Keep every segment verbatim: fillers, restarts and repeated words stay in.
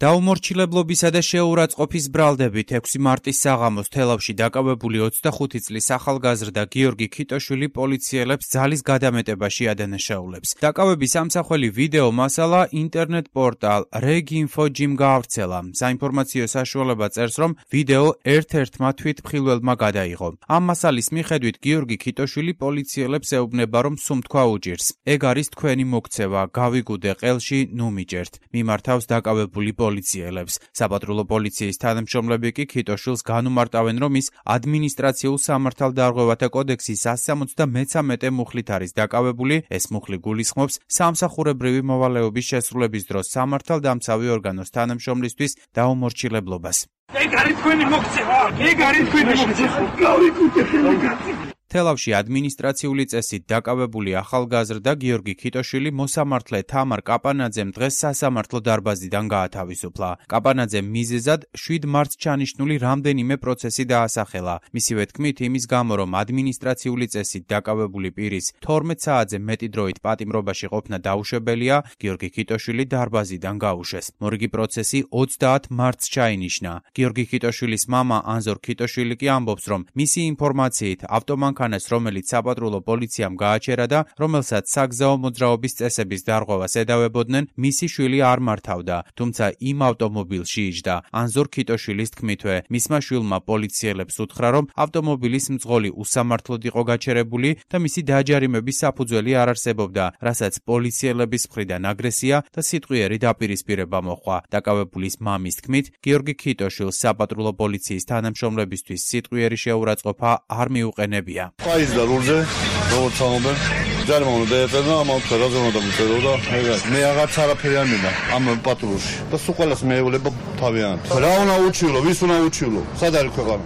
დაუმორჩილებლობისა და შეურაცხყოფის ბრალდებით ექვსი მარტის საღამოს თელავში დაკავებული ოცდახუთი წლის ახალგაზრდა გიორგი ქიტოშვილი პოლიციელებს ძალის გადამეტებაში ადანაშაულებს. დაკავების ამსახველი ვიდეო მასალა ინტერნეტ პორტალ რეგ-ინფო-ჯიმ გაავრცელა. საინფორმაციო საშუალება წერს, რომ ვიდეო ერთ-ერთმა თვითმხილველმა გადაიღო. ამ მასალის მიხედვით გიორგი ქიტოშვილი პოლიციელებს ეუბნება, რომ სუმთქვა უჭირს. ეგ არის თქვენი მოქცევა, გავიგუდე ყელში, ნუ მიჭერთ. მიმართავს დაკავებული პოლიციელებს. საპატრულო პოლიციის თანამშრომლები კი ქიტოშვილს განუმარტავენ, რომ ის ადმინისტრაციულ სამართალდარღვევათა კოდექსის ასი ოცდამეცამეტე მუხლით არის დაკავებული. ეს მუხლი გულისხმობს სამსახურებრივი მოვალეობის შესრულების დროს სამართალდამცავი ორგანოს თანამშრომლისთვის დაუმორჩილებლობას. ეგ არის თქვენი მოქცევა, ეგ არის თქვენი მოქცევა. გავიკუთე ხელმოგაწვი. თელავში ადმინისტრაციული წესით დაკავებული ახალგაზრდა გიორგი ქიტოშვილი მოსამართლე თამარ კაპანაძემ დღეს სასამართლო დარბაზიდან გაათავისუფლა. კაპანაძემ მიზეზად შვიდ მარტს ჩანიშნული რამდენიმე პროცესი დაასახელა. მისივე თქმით, იმის გამო, რომ ადმინისტრაციული წესით დაკავებული პირის თორმეტ საათზე მეტი დროით პატიმრობაში ყოფნა დაუშვებელია, გიორგი ქიტოშვილი დარბაზიდან გაუშვეს. მორიგი პროცესი ოცდაათ მარტს ჩაინიშნა. გიორგი ქიტოშვილის მამა ანზორ ქიტოშვილი კი ამბობს, რომ მისი ინფორმაციით ავტომანქანა რომელიც საპატრულო პოლიციამ გააჩერა და რომელსაც საგზაო მოძრაობის წესების დარღვევას ედავებოდნენ, მისი შვილი არ მართავდა, თუმცა იმ ავტომობილში იჯდა. ანზორ ქიტოშვილის თქმითვე, მისმა შვილმა პოლიციელებს უთხრა, რომ ავტომობილის მძღოლი უსამართლოდ იყო გაჩერებული და მისი დაჯარიმების საფუძველი არ არსებობდა, რასაც პოლიციელების მხრიდან აგრესია და სიტყვიერი დაპირისპირება მოჰყვა. დაკავებულის მამის თქმით, გიორგი ქიტოშვილს საპატრულო პოლიციის თანამშრომლებისთვის სიტყვიერი შეურაცხყოფა არ მიუყენებია. Paiz da rulze, როგორც ამობენ, ჯარმა უნდა დაეწერა, ამავე ხერაზე უნდა მიწერო და მე აღარც არაფერი არ მინდა ამ პატრულში. და სულ ყველას მეევლება თავიანთ. რა უნდა უჩივლო, ვის უნდა უჩივლო? სად არის ქვეყანა?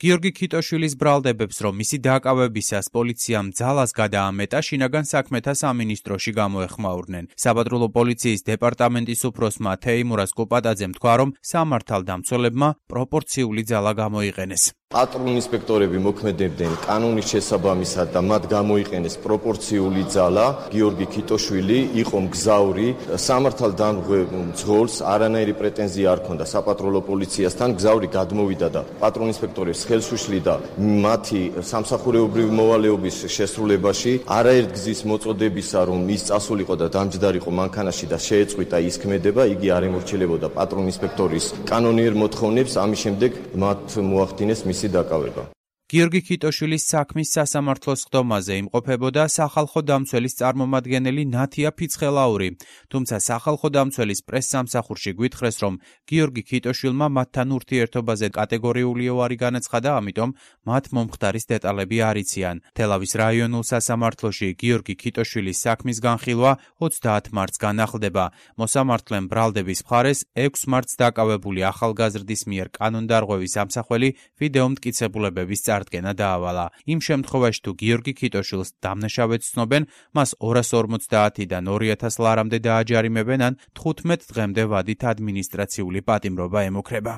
გიორგი ქიტოშვილის ბრალდებებს, რომ მისი დაკავებისას პოლიციამ ძალას გადაამეტა, შინაგან საქმეთა სამინისტროში გამოეხმაურნენ. საპატრულო პოლიციის დეპარტამენტის უფროსმა თეიმურას კუპატაძემ თქვა, რომ სამართალდამცველებმა პროპორციული ძალა გამოიყენეს. პატრულ ინსპექტორები მოქმედებდნენ კანონის შესაბამისად და მათ გამოიყენეს პროპორციული ძალა. გიორგი ქიტოშვილი იყო მგზავრი, სამართალდამცავ მძღოლს არანაირი პრეტენზია არ ჰქონდა საპატრულო პოლიციასთან. მგზავრი გადმოვიდა და პატრულ ინსპექტორებს ხელს უშლიდა მათი სამსახურებრივი მოვალეობის შესრულებაში. არაერთ გზის მოწოდებისა, რომ ის წასულიყო და დამჯდარიყო მანქანაში და შეეწყვიტა ის ქმედება, იგი არ ემორჩილებოდა პატრულ ინსპექტორის კანონიერ მოთხოვნებს, ამის შემდეგ მათ მოახდინეს მისი დაკავება. გიორგი ქიტოშვილის საქმის სასამართლოს ხდომაზე იმყოფებოდა სახალხო დამცველის წარმომადგენელი ნათია ფიცხელაური, თუმცა სახალხო დამცველის პრესსამსახურში გვითხრეს, რომ გიორგი ქიტოშვილმა მათთან ურთიერთობაზე კატეგორიული უარი განაცხადა, ამიტომ მათ მომხდარის დეტალები არ იციან. თელავის რაიონულ სასამართლოში გიორგი ქიტოშვილის საქმის განხილვა ოცდაათ მარტს განახლდება. მოსამართლემ ბრალდების მხარეს ექვსი მარტს დაკავებული ახალგაზრდის მიერ კანონდარღვევის ამსახველი ვიდეო მტკიცებულებების წარდგენა დაავალა. იმ შემთხვევაში, თუ გიორგი ქიტოშვილს დამნაშავედ ცნობენ, მას ორას ორმოცდაათიდან ორი ათას ლარამდე დააჯარიმებენ ან თხუთმეტ დღემდე ვადით ადმინისტრაციული პატიმრობა ემუქრება.